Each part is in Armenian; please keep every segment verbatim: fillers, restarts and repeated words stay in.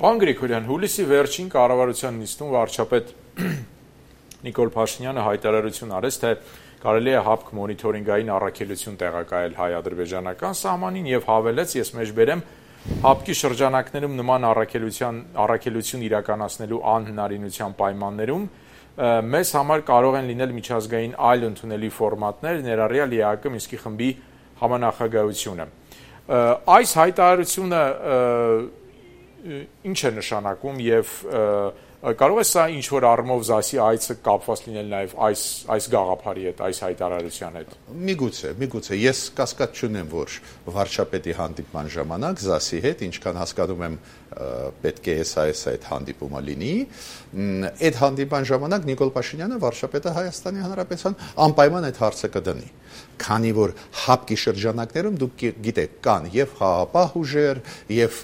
Պարոն Գրիգորյան, հուլիսի վերջին կառավարության նիստում վարչապետ Նիկոլ Փաշինյանը հայտարարություն արեց, թե կարելի է ՀԱՊԿ մոնիթորինգային առաքելություն տեղակայել հայ-ադրբեջանական սահմանին եւ հավելեց, ես մեջբերեմ, ՀԱՊԿ-ի շրջանակներում նման առաքելություն իրականացնելու անհնարինության պայմաններում մեզ համար կարող են լինել միջազգային այլ ընդունելի ֆորմատներ, ներառյալ ԵԱՀԿ Մինսկի խմբի համանախագահությունը։ Այս հայտարարությունը ինչ է նշանակում եւ կարող է սա ինչ որ առումով ԶԱՍ-ի այցը կապված լինել նաեւ այս այս գաղափարի հետ, այս հայտարարության հետ։ Միգուցե, միգուցե ես կասկած չունեմ, որ վարչապետի հանդիպման ժամանակ ԶԱՍ-ի հետ, ինչքան հասկանում եմ, պետք է էս այս այդ հանդիպումը լինի, այդ հանդիպման ժամանակ Նիկոլ Փաշինյանը վարչապետը Հայաստանի Հանրապետության անպայման այդ հարցը կդնի, քանի որ ՀԱՊԿ-ի շրջանակներում դուք գիտեք կան եւ խաղաղապահ ուժեր, եւ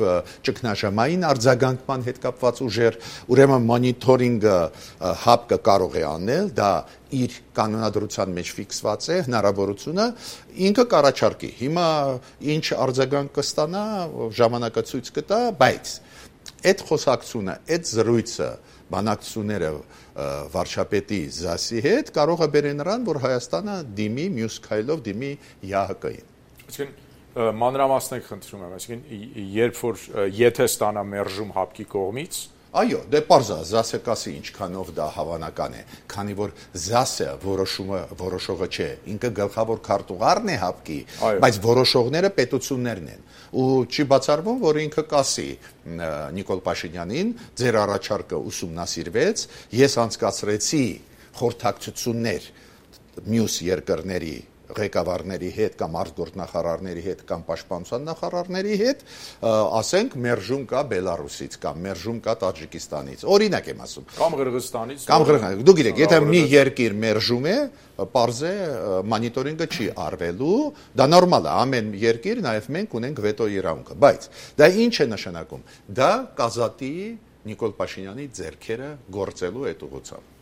ճգնաժամային արձագանքման հետ կապված ուժեր, ուրեմն մոնիթորինգը ՀԱՊԿ-ը կարող է անել, դա իր կանոնադրության մեջ ֆիքսված է հնարավորությունը, ինքը կառաջարկի։ Հիմա ինչ արձագանք կստանա, ժամանակը ցույց կտա, բայց այդ խոսակցությունը, այդ զրույցը, բանակցությունները վարչապետի ԶԱՍ-ի հետ կարող է բերել նրան, որ Հայաստանը դիմի մյուս քայլով դիմի ԵԱՀԿ-ին։ Այսինքն մանրամասնեք խնդրում եմ, այսինքն երբ որ եթե ստանա մերժում ՀԱՊԿ-ի կողմից, այո, դե պարզ է, ԶԱՍ-ը կասի ինչքանով դա հավանական է, քանի որ ԶԱՍ-ը որոշումը որոշողը չէ, ինքը գլխավոր քարտուղարն է ՀԱՊԿ-ի, բայց որոշողները պետություններն են։ Ու չի բացառվում, որ ինքը կասի Նիկոլ Փաշինյանին, ձեր առաջարկը ուսումնասիրվեց, ես անցկացրեցի խորհրդակցություններ մյուս երկրների ղեկավարների հետ կամ արտգործնախարարների հետ կամ պաշտպանության նախարարների հետ, ասենք մերժում կա Բելարուսից կամ մերժում կա Տաջիկստանից, օրինակ եմ ասում, կամ Ղրղստանից, կամ Ղրղստանից, դուք գիտեք, եթե մի երկիր մերժում է, պարզ է մոնիտորինգը չի արվելու, դա նորմալ է, ամեն երկիր, նաև մենք ունենք վետո իրավունքը, բայց դա ինչ է նշանակում, դա կազատի Նիկոլ Փաշինյանի ձեռքերը գործելու այդ ուղղությամբ։